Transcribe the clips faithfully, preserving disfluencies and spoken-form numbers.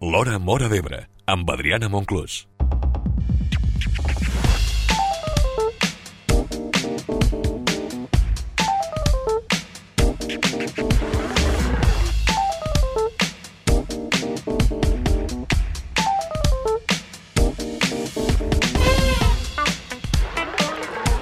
L'Hora Móra d'Ebre, amb Adriana Monclús.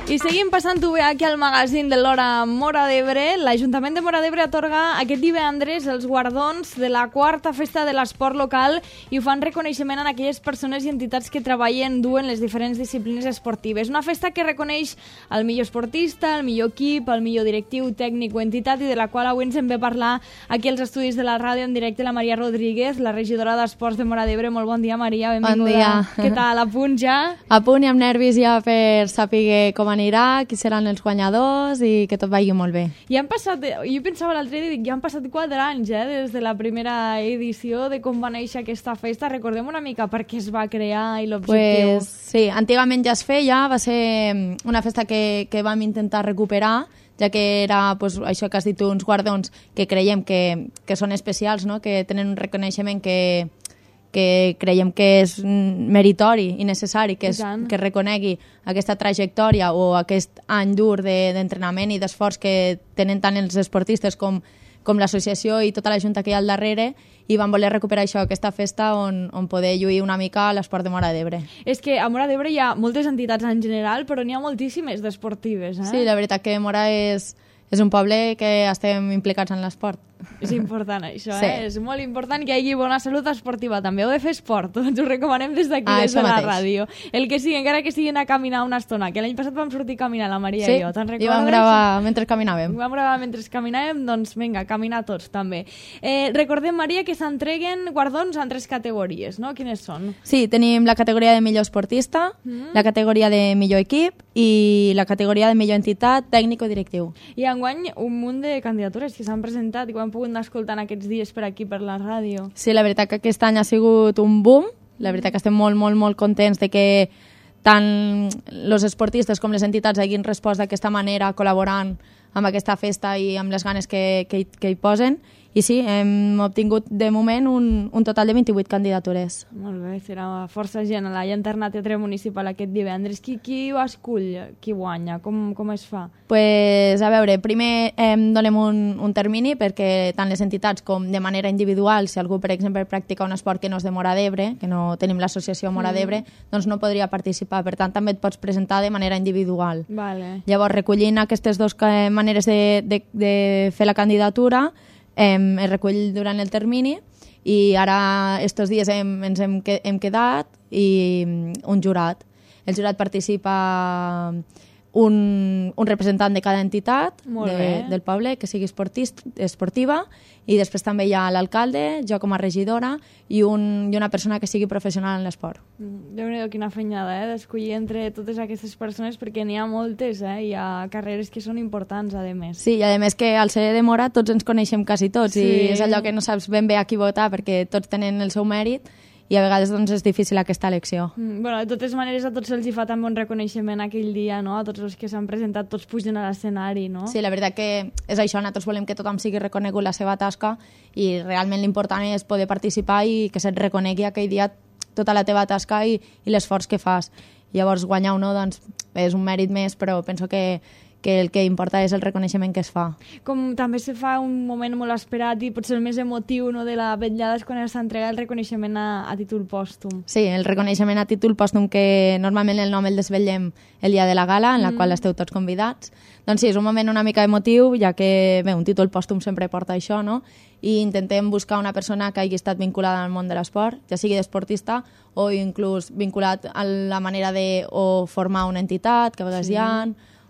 I seguim passant-ho bé aquí al magazín de l'Hora Móra d'Ebre. L'Ajuntament de Móra d'Ebre atorga aquest divendres els guardons de la quarta festa de l'esport local i ho fan reconeixement a aquelles persones i entitats que treballen dur en les diferents disciplines esportives. Una festa que reconeix el millor esportista, el millor equip, el millor directiu, tècnic o entitat i de la qual avui ens en ve parlar aquí als estudis de la ràdio en directe la Maria Rodríguez, la regidora d'Esports de Móra d'Ebre. Molt bon dia, Maria, benvinguda. Bon dia. Què tal? A punt ja? A punt i amb nervis ja per saber com anirà, qui seran els guanyadors i que tot vagi molt bé. I han passat, jo pensava l'altre dia, ja han passat quatre anys eh, des de la primera edició de com va néixer aquesta festa. Recordem una mica per què es va crear i l'objectiu. Pues, sí, antigament ja es feia, va ser una festa que, que vam intentar recuperar, ja que era pues, això que has dit, uns guardons que creiem que, que són especials, no? Que tenen un reconeixement que, que creiem que és meritori i necessari, que, és, que reconegui aquesta trajectòria o aquest any dur d'entrenament de, i d'esforç que tenen tant els esportistes com, com l'associació i tota la junta que hi ha al darrere, i vam voler recuperar això, aquesta festa on, on poder lluir una mica l'esport de Móra d'Ebre. És que a Móra d'Ebre hi ha moltes entitats en general, però n'hi ha moltíssimes d'esportives. Eh? Sí, la veritat que Móra és, és un poble que estem implicats en l'esport. És important això, sí. eh? És molt important que hi hagi bona salut esportiva. També heu de fer esport, ens ho recomanem des d'aquí, ah, des de la mateix. ràdio. El que sigui, encara que siguin a caminar una estona, que l'any passat vam sortir a caminar, la Maria sí, i jo, te'n recordes? Sí, i vam gravar mentre caminàvem. Vam gravar mentre caminàvem, doncs vinga, caminar tots també. Eh, recordem, Maria, que s'entreguen guardons en tres categories, no? Quines són? Sí, tenim la categoria de millor esportista, mm. la categoria de millor equip i la categoria de millor entitat, tècnic o directiu. I enguany un munt de candidatures que s'han presentat i que hem pogut anar escoltant aquests dies per aquí, per la ràdio. Sí, la veritat que aquest any ha sigut un boom. La veritat que estem molt, molt, molt contents de que tant els esportistes com les entitats hagin respost d'aquesta manera, col·laborant amb aquesta festa i amb les ganes que, que, que hi posen. I sí, hem obtingut de moment un, un total de vint-i-vuit candidatures. Molt bé, serà força gent a la Llanterna Teatre Municipal aquest divendres. Qui, qui ho escull? Qui guanya? Com, com es fa? Pues, a veure, primer eh, donem un, un termini perquè tant les entitats com de manera individual, si algú, per exemple, practica un esport que no és de Móra d'Ebre, que no tenim l'associació Móra d'Ebre, mm. doncs no podria participar. Per tant, també et pots presentar de manera individual. Vale. Llavors, recollint aquestes dues maneres de, de, de fer la candidatura, Eh, es recull durant el termini i ara estos dies hem, ens hem, hem quedat i un jurat. El jurat participa un, un representant de cada entitat de, del poble que sigui esportist, esportiva, i després també hi ha l'alcalde, jo com a regidora i, un, i una persona que sigui professional en l'esport. Déu-n'hi-do, quina feinada, eh? D'escollir entre totes aquestes persones, perquè n'hi ha moltes, eh? Hi ha carreres que són importants, a més. Sí, i a més que al ser de Móra tots ens coneixem quasi tots, sí. I és allò que no saps ben bé a qui votar perquè tots tenen el seu mèrit i a vegades doncs, és difícil aquesta elecció. Mm, bueno, de totes maneres, a tots els hi fa també un reconeixement aquell dia, no? A tots els que s'han presentat, tots pugen a l'escenari, no? Sí, la veritat que és això, nosaltres volem que tothom sigui reconegut la seva tasca i realment l'important és poder participar i que se't reconegui aquell dia tota la teva tasca i, i l'esforç que fas. Llavors, guanyar o no, doncs, és un mèrit més, però penso que que el que importa és el reconeixement que es fa. Com també se fa un moment molt esperat i potser el més emotiu, no, de la vetllada és quan s'entrega el reconeixement a, a títol pòstum. Sí, el reconeixement a títol pòstum, que normalment el nom el desvetllem el dia de la gala, en la mm. qual esteu tots convidats. Doncs sí, és un moment una mica emotiu, ja que bé, un títol pòstum sempre porta això, no? I intentem buscar una persona que hagi estat vinculada al món de l'esport, ja sigui d'esportista o inclús vinculat a la manera de o formar una entitat, que a vegades sí. hi ha,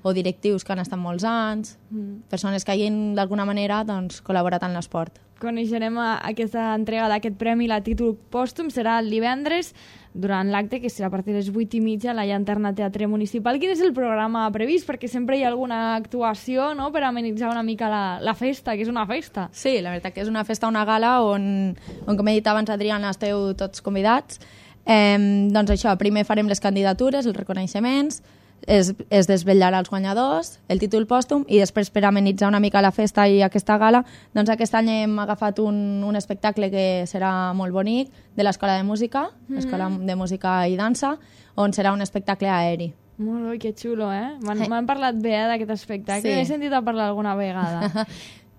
o directius que han estat molts anys, mm. persones que hagin d'alguna manera doncs, col·laborat en l'esport. Coneixerem aquesta entrega d'aquest premi, la títol pòstum, serà el divendres durant l'acte, que serà a partir de les vuit i mitja a la Llanterna Teatre Municipal. Quin és el programa previst? Perquè sempre hi ha alguna actuació, no?, per amenitzar una mica la, la festa, que és una festa. Sí, la veritat que és una festa, una gala on, on com he dit abans, Adriana, esteu tots convidats. Eh, doncs això, primer farem les candidatures, els reconeixements, es, es desvetllarà els guanyadors, el títol pòstum, i després per amenitzar una mica la festa i aquesta gala, doncs aquest any hem agafat un, un espectacle que serà molt bonic, de l'Escola de Música, mm-hmm. l'Escola de Música i Dansa, on serà un espectacle aeri. Molt bé, que xulo, eh? M'han eh. parlat bé eh, d'aquest espectacle, sí. He sentit a parlar alguna vegada.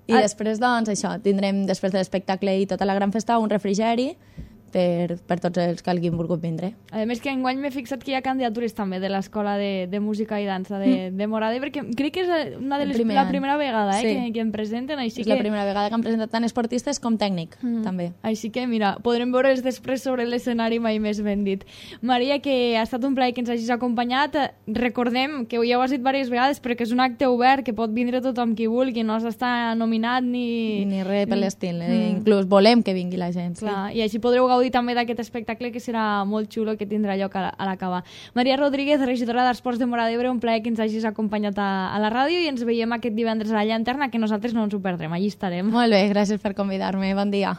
I ah. després, doncs, això, tindrem, després de l'espectacle i tota la gran festa, un refrigeri, per, per tots els que hagin volgut vindre. A més que enguany m'he fixat que hi ha candidatures també de l'Escola de, de Música i Dansa de, mm. de Móra d'Ebre, que crec que és una de les, la primera vegada eh, sí. que, que em presenten. Així és que... la primera vegada que han presentat tant esportistes com tècnic, mm. també. Així que, mira, podrem veure'ls després sobre l'escenari, mai més ben dit. Maria, que ha estat un plaer que ens hagis acompanyat. Recordem que ja ho has dit diverses vegades, però que és un acte obert, que pot vindre tothom qui vulgui, no s'està nominat ni... Ni res per l'estil, mm. inclús volem que vingui la gent. Clar, sí. I així podreu gaudir també d'aquest espectacle que serà molt xulo, que tindrà lloc a l'acabar. Maria Rodríguez, regidora d'Esports de Móra d'Ebre, un plaer que ens hagis acompanyat a, a la ràdio i ens veiem aquest divendres a la Llanterna, que nosaltres no ens ho perdrem, allí estarem. Molt bé, gràcies per convidar-me, bon dia.